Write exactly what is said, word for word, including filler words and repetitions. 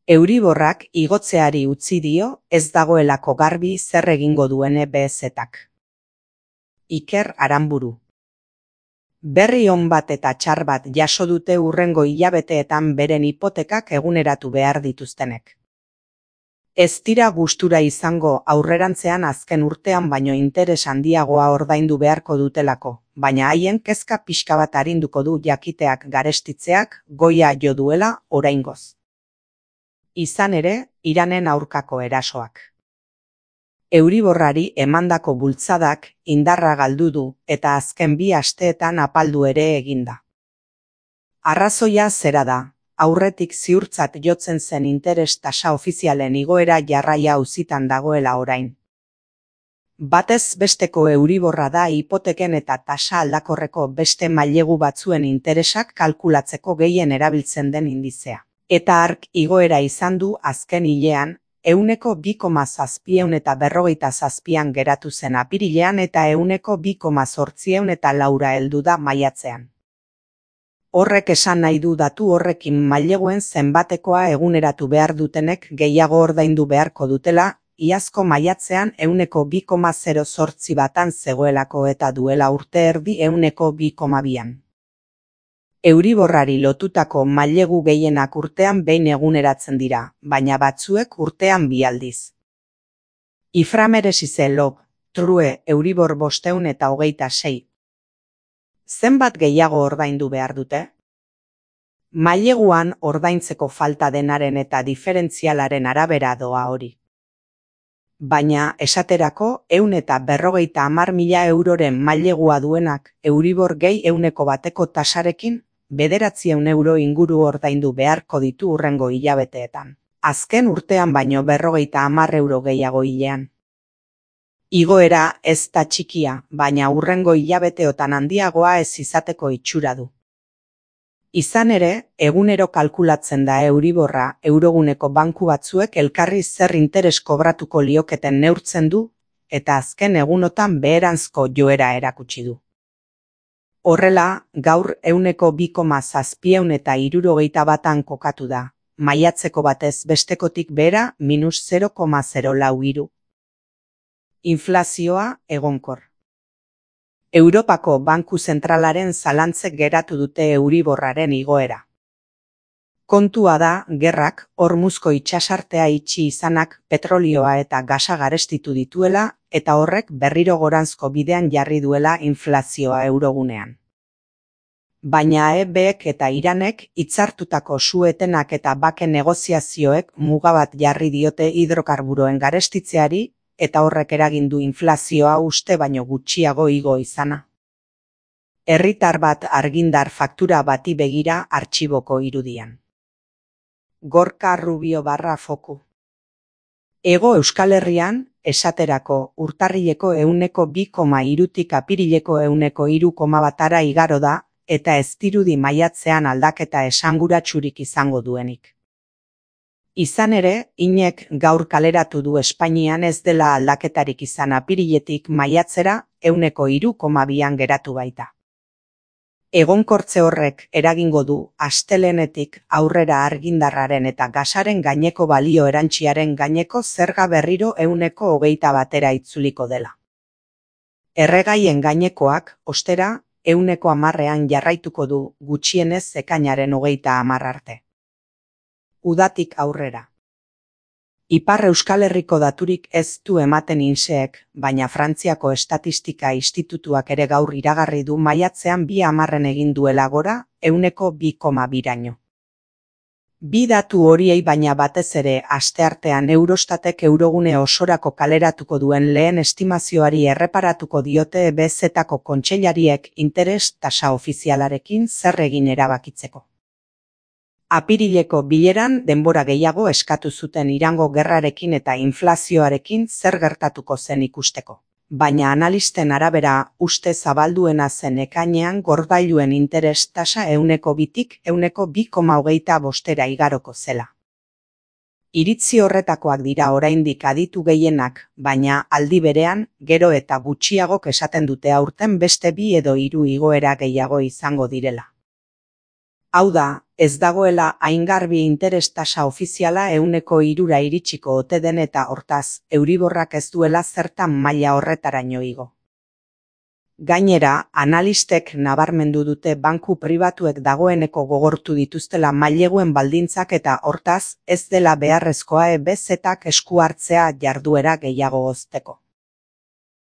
Euriborrak igotzeari utzi dio ez dagoelako garbi zer egingo duen E B S-ak. Iker Aranburu. Berri on bat eta txar bat jaso dute hurrengo hilabeteetan beren hipotekak eguneratu behar dituztenek. Ez dira gustura izango aurrerantzean azken urtean baino interes handiagoa ordaindu beharko dutelako, baina haien kezka pixka bat arinduko du jakiteak garestitzeak goia jo duela oraingoz. Izan ere, Iranen aurkako erasoak. Euriborrari emandako bultzadak indarra galdu du eta azken bi asteetan apaldu ere eginda. Arrazoia zera da, aurretik ziurtzat jotzen zen interes tasa ofizialen igoera jarraia auzitan dagoela orain. Batez besteko Euriborra da hipoteken eta tasa aldakorreko beste mailegu batzuen interesak kalkulatzeko gehien erabiltzen den indizea. Eta hark igoera izan du azken hilean, ehuneko bi koma zazpiehun eta berrogeita zazpian geratu zen apirilean eta ehuneko bi koma zortziehun eta laura heldu da maiatzean. Horrek esan nahi du datu horrekin maileguen zenbatekoa eguneratu behar dutenek gehiago ordaindu beharko dutela, iazko maiatzean ehuneko bi koma zero zortzi batan zegoelako eta duela urte erdi ehuneko bi koma bian. Euriborrari lotutako mailegu gehienak urtean behin eguneratzen dira, baina batzuek urtean bi aldiz. Iframeresize lob, true Euribor bosteun eta hogeita sei. Zenbat gehiago ordaindu behar dute? Maileguan ordaintzeko falta denaren eta diferentzialaren arabera doa hori. Baina esaterako ehun eta berrogeita hamar mila euroren mailegua duenak Euribor gehi ehuneko bateko tasarekin bederatziehun euro inguru ordaindu beharko ditu hurrengo hilabeteetan. Azken urtean baino berrogeita hamar euro gehiago hilean. Igoera ez da txikia, baina hurrengo hilabeteotan handiagoa ez izateko itxura du. Izan ere, egunero kalkulatzen da Euriborra euroguneko banku batzuek elkarri zer interes kobratuko lioketen neurtzen du, eta azken egunotan beheranzko joera erakutsi du. Horrela, gaur ehuneko bi koma zazpiehun eta hirurogeita batan kokatu da, maiatzeko batez bestekotik behera minus zero koma zero lau hiru. Inflazioa egonkor. Europako Banku Zentralaren zalantzek geratu dute Euriborraren igoera. Kontua da, gerrak, Hormuzko itsasartea itxi izanak petrolioa eta gasa garestitu dituela eta horrek berriro goranzko bidean jarri duela inflazioa eurogunean. Baina E Bek eta Iranek hitzartutako su-etenak eta bake negoziazioek muga bat jarri diote hidrokarburoen garestitzeari eta horrek eragin du inflazioa uste baino gutxiago igo izana. Herritar bat argindar faktura bati begira artxiboko irudian. Gorka Rubio barra foku. Hego Euskal Herrian, esaterako, urtarrileko ehuneko bi koma hirutik apirileko ehuneko hiru koma batara igaro da, eta ez dirudi maiatzean aldaketa esanguratsurik izango duenik. Izan ere, Inek gaur kaleratu du Espainian ez dela aldaketarik izan apiriletik maiatzera ehuneko hiru koma bian geratu baita. Egonkortze horrek eragingo du astelehenetik aurrera argindarraren eta gasaren gaineko balio erantziaren gaineko zerga berriro ehuneko hogeita batera itzuliko dela. Erregaien gainekoak, ostera, ehuneko hamarrean jarraituko du gutxienez ekainaren hogeita hamar arte. Udatik aurrera. Ipar Euskal Herriko daturik ez du ematen inseek, baina Frantziako Estatistika Institutuak ere gaur iragarri du maiatzean bi hamarren egin duela gora, ehuneko bi koma biraino. Bi datu horiei baina batez ere asteartean Eurostatek eurogune osorako kaleratuko duen lehen estimazioari erreparatuko diote E B Z-ako kontseilariek interes tasa ofizialarekin zer egin erabakitzeko. Apirileko bileran denbora gehiago eskatu zuten Irango gerrarekin eta inflazioarekin zer gertatuko zen ikusteko. Baina analisten arabera uste zabalduena zen ekainean gordailuen interes tasa ehuneko bitik ehuneko bi koma hogeita bostera igaroko zela. Iritzi horretakoak dira oraindik aditu gehienak, baina aldi berean gero eta gutxiagok esaten dute aurten beste bi edo hiru igoera gehiago izango direla. Hau da, ez dagoela haingarbi interes tasa ofiziala ehuneko hirura iritsiko ote den eta hortaz, Euriborrak ez duela zertan maila horretaraino igo. Gainera, analistek nabarmendu dute banku pribatuek dagoeneko gogortu dituztela maileguen baldintzak eta hortaz, ez dela beharrezkoa E B Z-ak esku hartzea jarduera gehiago hozteko.